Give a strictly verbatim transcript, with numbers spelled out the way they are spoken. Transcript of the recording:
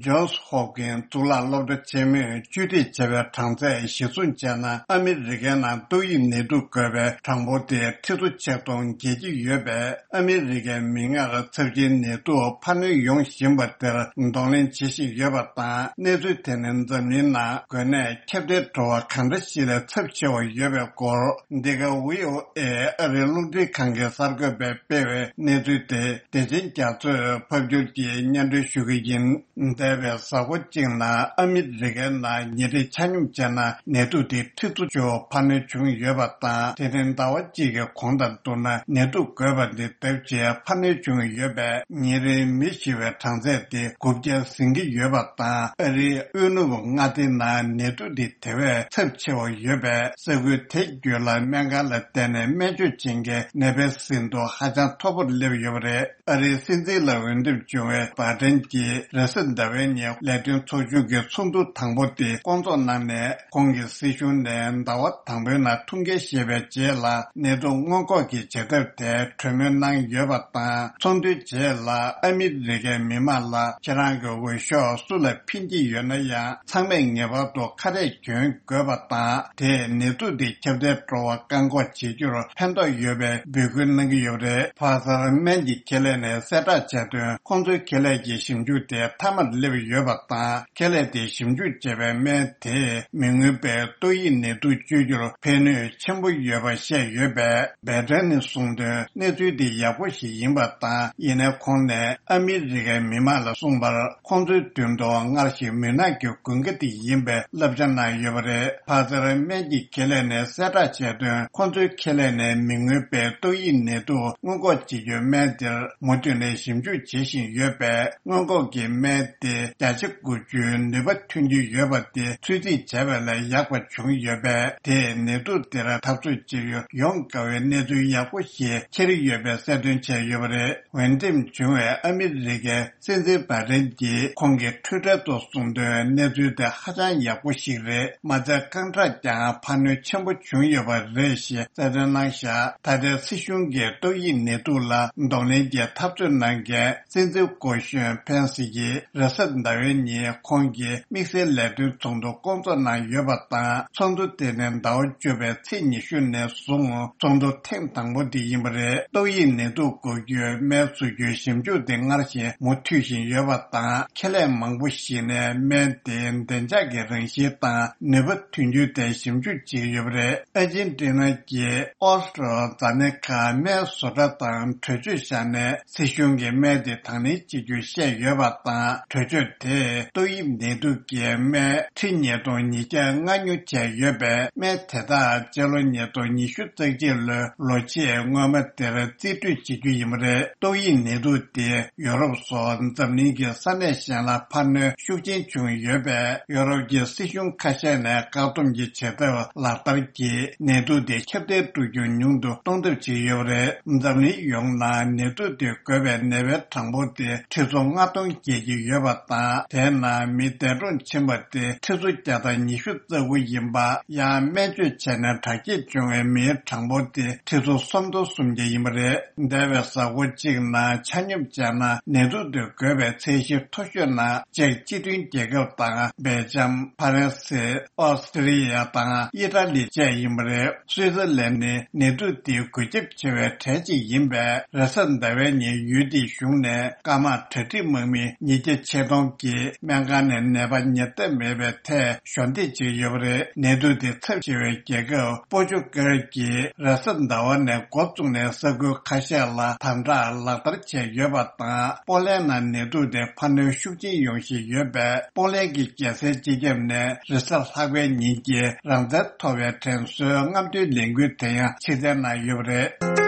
ཇོན་སི་ཧོབ་ཀིན་གཙུག་ལག་སློབ་གྲྭ་ཆེན་མོས་བཅོས་སྒྲིག་བྱས་པའི་གྲངས་ཚད་གཞིར་བཟུང་བྱས་ན། ཨ་མི་རི་ཀའི་ནང་ཏོག་དབྱིབས་ནད་དུག་འགོས་པའི་གྲངས་འབོར་དེ་ཁྲི་ཚོ་ཆིག་སྟོང་བརྒལ་གྱི་ཡོད་པས། ཨ་མི་རི་ཀའི་མིག་སྔར་ཚབས་ཆེན་ནད་དུག་འཕར་སྣོན་ཡོང་བཞིན་པ་དེར་གདོང་ལེན་བྱེད་བཞིན་ཡོད་པ་དང་། གནས་ཚུལ་དེ་ནི་འཛམ་གླིང་ནང་འགོས་ནད་ཁྱབ་གདལ་འགྲོ་བ་གང་འདྲ་ཞིག་ལས་ཚབས་ཆེ་བ་ཡོད་པའི་སྐོར། འདི་ག་བྷི་ཨོ་ཨེ་ཨ་རིའི་རླུང་འཕྲིན་ཁང་གི་གསར་འགོད་པས་སྤེལ་བའི་གནས་ཚུལ་དེ། བདེ་ཆེན་རྒྱ་མཚོས་ཕབ་སྒྱུར་གྱིས་སྙན་སྒྲོན་ཞུ་གི་ཡིན། འདས་པའི་གཟའ་འཁོར་གཅིག་ནང་ཨ་མི་རི་ཀའི་ནང་ཉིན་རེ་ཆ་སྙོམས་བྱས་ན་ནད་དུག་དེ་ཁྲི་ཚོ་བཅུ་འཕར་སྣོན་བྱུང་ཡོད་པ་དང་། དེ་ནི་ཟླ་བ་གཅིག་གི་གོང་དང་བསྡུར་ན་ནད་དུག་འགོས་པ་འདི་ལྡབ་བརྒྱད་འཕར་སྣོན་བྱུང་ཡོད་པས། ཉིན་རེའི་མི་ཤི་བའི་གྲངས་ཚད་དེ་དགུ་བརྒྱ་ཟིན་གྱི་ཡོད་པ་དང་། ཨ་རིའི་དབུས་ནུབ་མངའ་སྡེའི་ནང་ནད་དུག་འདི་དེ་བས་ཚབས་ཆེ་བ་ཡོད་པས། ས་ཁུལ་དེ་བརྒྱུད་ལ་སྨན་ཁང་ལ་བསྡད་ནས་སྨན་བཅོས་བྱེད་མཁན་ནད་པའི་ཟིན་ཐོ་ཧ་ཅང་མཐོ་པོར་སླེབས་ཡོད་པ་རེད། ཨ་རིའི་སྲིད་འཛིན་ལ་འོས་འདེམས་བྱུང་བའི་བྷའི་ཏན་གྱིས་རེས་གཟའ་ཟླ་བའི་ཉིན་ལས་དོན་ཚོགས་ཆུང་གི་ཚོགས་འདུ་དང་པོ་དེ་བསྐོང་ཚོགས་གནང་ནས། ཁོང་གི་སྲིད་གཞུང་ནས་ཟླ་བ་དང་པོའི་ནང་ཐུགས་འགན་བཞེས་པའི་རྗེས་ལ་ནད་དུག་སྔོན་འགོག་གི་བྱེད་ཐབས་དེ་གྲོས་མོལ་གནང་ཡོད་པ་དང་། ཚོགས་འདུའི་རྗེས་ལ་ཨ་མི་རི་ཀའི་མི་མང་ལ་ཁྱེད་རང་གི་འོས་ཤོག་སུ་ལ་འཕེན་གྱི་ཡོད་ན་ཡང་། ཚང་མས་ངེས་པར་དུ་ཁ་རས་གྱོན་དགོས་པ་དང་། དེས་ནད་དུག་འདི་ཁྱབ་གདལ་འགྲོ་བ་བཀག་འགོག་བྱེད་རྒྱུར་ཕན་ཐོགས་ཡོད་པའི་འབོད་སྐུལ་གནང་གི་ཡོད་པ་རེད། ཕ་སར་སྨན་གྱི་ཁེ་ལས་ནས་གསལ་བསྒྲགས་བྱས་དོན། ཁོང་ཚོའི་ཁེ་ལས་ཀྱི་ཞིབ་འཇུག་དེ་མཐའ་མར་སླེབས་ཡོད་པ་དང་། ཁེ་ལས་དེས་ཞིབ་འཇུག་བྱས་པའི་སྨན་དེས་མི་མངོན་པའི་ཏོག་དབྱིབས་ནད་དུག་བཅོས་རྒྱུར་ཕན་ནུས་ཆེན་པོ་ཡོད་པ་བཤད་ཡོད་པས། བྷའི་ཏན་ནས་གསུངས་དོན། གནས་ཚུལ་འདི་ཡག་པོ་ཞིག་ཡིན་པ་དང་། ཡིན་ནའི་ཁོང་ནས་ཨ་མི་རི་ཀའི་མི་མང་ལ་གསུངས་པར། ཁོང་ཚོའི་མདུན་དུ་སྔར་བཞིན་མུན་ནག་གི་དགུན་ཁ་དེ་ཡིན་པའི་བསླབ་བྱ་གནང་ཡོད་པ་རེད། ཕ་སར་སྨན་གྱི་ཁེ་ལས་ནས་གསལ་བསྒྲགས་བྱས་དོན། ཁོང་ཚོའི་ཁེ་ལས་ནས་མི་མངོན་པའི་ཏོག་དབྱིབས་ནད་དུག་སྔོན་འགོག་བྱེད་རྒྱུའི་སྨན་དེར་མུ་མཐུད་ནས་ཞིབ་འཇུག་བྱེད་བཞིན་ཡོད་པས། སྔོན་འགོག་གི་སྨན་དེ་བརྒྱ་ཆ་དགུ་བཅུའི་ནུས་པ་ཐོན་གྱི་ཡོད་པ་དེ་ཚོད་རྩིས་བྱས་པ་ལས་ཡག་པ་བྱུང་ཡོད་པས། དེས་ནད་དུག་དེར་འཐབ་རྩོད་བྱེད་རྒྱུ་ཡོང་དཀའ་བའི་གནས་ཚུལ་ཡག་པོ་ཞིག་འཁྱེར་ཡོད་པའི་གསལ་སྟོན་བྱས་ཡོད་པ་རེད། འོས་འདེམས་བྱུང་བའི་ཨ་མི་རི་ཀའི་སྲིད་འཛིན་བྷའི་ཏན་གྱིས་ཁོང་གི་ཊུའི་ཊར་དུ་གསུངས་དོན། གནས་ཚུལ་དེ་ཧ་ཅང་ཡག་པོ་ཞིག་རེད། མ་ཚད་རྐང་ཁྲག་ཀྱང་འཕར་སྣོན་ཆེན་པོ་བྱུང་ཡོད་པ་རེད་ཞེས་གསལ་སྟོན་གནང་བཞག་ད་ལྟའི་སྲིད་གཞུང་གིས་ཏོག་དབྱིབས་ནད་དུག་ལ་གདོང་ལེན་གྱི་འཐབ་རྩོད་གནང་མཁན་སྲིད་འཛིན་སྐུ་གཞོན་ཕེན་སི་ཡིས་རེས་གཟའ་ཟླ་བའི་ཉིན་ཁོང་གིས་དམིགས་བསལ་ལས་དོན་ཚོགས་འདུ་བསྐོང་ཚོགས་གནང་ཡོད་པ་དང་། ཚོགས་འདུ་དེ་ནི་ཟླ་བ་བཅུ་པའི་ཚེས་ཉི་ཤུ་ནས་བཟུང་ཚོགས་འདུ་ཐེངས་དང་པོ་དེ་ཡིན་པ་རེད། ཏོག་དབྱིབས་ནད་དུག་འགོག་རྒྱུའི་སྨན་བཟོ་རྒྱུའི་ཞིབ་འཇུག་དེ་སྔར་བཞིན་མུ་མཐུད་བཞིན་ཡོད་པ་དང་། ཁེ་ལས་མང་པོ་ཞིག་ནས་སྨན་དེའི་བདེ་འཇགས་ཀྱི་རང་བཞིན་དང་ནུས་པ་ཐོན་རྒྱུ་དེ་ཞིབ་འཇུག་བྱེད་ཀྱི་ཡོད་པ་རེད། ཨར་ཇེན་ཊི་ན་གྱི་ཨོ་སི་ཊྲོ་ཛ་ནེ་ཁ་སྨན་བཟོ་གྲྭ་དང་གྲོས་ཆོད་བཞག་ནས། སྲིད་གཞུང་གིས་སྨན་དེ་དང་ལེན་བྱེད་རྒྱུ་བཤད་ཡོད་པ་དང་། གྲོས་ཆོད་དེས་ཏོག་དབྱིབས་ནད་དུག་གི་སྨན་ཁྲི་ཉིས་སྟོང་ཉིས་བརྒྱ་ལྔ་ཉོ་བྱས་ཡོད་པས། སྨན་དེ་དག་སྤྱི་ལོ་ཉིས་སྟོང་ཉི་ཤུ་རྩ་གཅིག་ལོའི་ལོ་ཕྱེད་སྔོན་མ་དེར་རྩིས་སྤྲོད་བྱེད་རྒྱུ་ཡིན་པ་རེད། ཏོག་དབྱིབས་ནད་དུག་དེ་ཡོ་རོབ་སོགས་འཛམ་གླིང་གི་ས་གནས་གཞན་ལ་འཕར་སྣོན་ཤུགས་ཆེན་བྱུང་ཡོད་པས། ཡོ་རོབ་ཀྱི་སྲིད་གཞུང་ཁ་ཤས་ནས་བཀག་སྡོམ་གྱི་བྱེད་ཐབས་ལག་བསྟར་གྱིས་ནད་དུག་དེ་ཁྱབ་གདལ་འགྲོ་རྒྱུ་ཉུང་དུ་གཏོང་ཐབས་བྱས་ཡོད་པ་རེད། འཛམ་གླིང་ཡོངས་ནང་ནད་དུག་དེ་འགོས་པའི་ནད་པའི་གྲངས་འབོར་དེ་ཁྲི་ཚོ་ལྔ་སྟོང་བརྒལ་གྱི་ཡོད་པ་དང་། དེའི་ནང་མི་འདས་གྲོངས་ཕྱིན་པ་དེ་ཁྲི་ཚོ་བརྒྱ་དང་ཉི་ཤུ་རྩ་དགུ་ཡིན་པ། ཡང་སྨན་བཅོས་བྱས་ནས་དྲག་སྐྱེད་བྱུང་བའི་མིའི་གྲངས་འབོར་དེ་ཁྲི་ཚོ་སུམ་སྟོང་སུམ་བརྒྱ་ཡིན་པ་རེད། འདས་པའི་གཟའ་འཁོར་གཅིག་ནང་ཆ་སྙོམས་བྱས་ན་ནད་དུག་དེ་འགོས་པའི་ཚད་གཞི་མཐོ་ཤོས་ནང་ཅེཀ་སྤྱི་མཐུན་རྒྱལ་ཁབ་དང་། སྦེལ་ཇམ། ཕ་རན་སི། ཨོ་སི་ཀྲི་ཡ་དང་ཨི་ཊ་ལི་བཅས་ཡིན་པ་རེད། སུའི་ཙར་ལན་ནི་ནད་དུག་འདིའི་འགོས་ཁྱབ་ཆེ་བའི་གྲས་གཅིག་ཡིན་པས། རེས་གཟའ་ཟླ་བའི་ཉིན་ཡུལ་དེའི་གཞུང་ནས་སྐར་མར་གྲ་སྒྲིག་དམག་མི་ཉིས་བརྒྱ་ཆེད་གཏོང་གིས་སྨན་ཁང་ནས་ནད་པ་ཉར་ཐབས་མེད་པའི་ཐད་གཞོགས་འདེགས་བྱས་ཡོད་པ་རེད། ནད་དུག་དེ་ཚབས་ཆེ་བའི་རྒྱལ་ཁབ་པོར་ཅུ་གལ་གྱིས་རེས་གཟའ་ཟླ་བ་ནས་འགོ་བཙུགས་ནས་ས་ཁུལ་ཁ་ཤས་ལ་དམ་དྲག་ལག་བསྟར་བྱས་ཡོད་པ་དང་། པོ་ལན་ནང་ནད་དུག་དེ་འཕར་སྣོན་ཤུགས་ཆེན་ཡོང་བཞིན་ཡོད་པས། པོ་ལན་གྱི་རྒྱལ་སའི་སྤྱི་ཁྱབ་ནས་རེས་གཟའ་ལྷག་པའི་ཉིན་གྱི་རང་བཙན་ཐོབ་པའི་དྲན་གསོའི་རྔམ་སྟོན་ལས་འགུལ་དེ་ཡང་ཕྱིར་འཐེན་གནང་ཡོད་པ་རེད།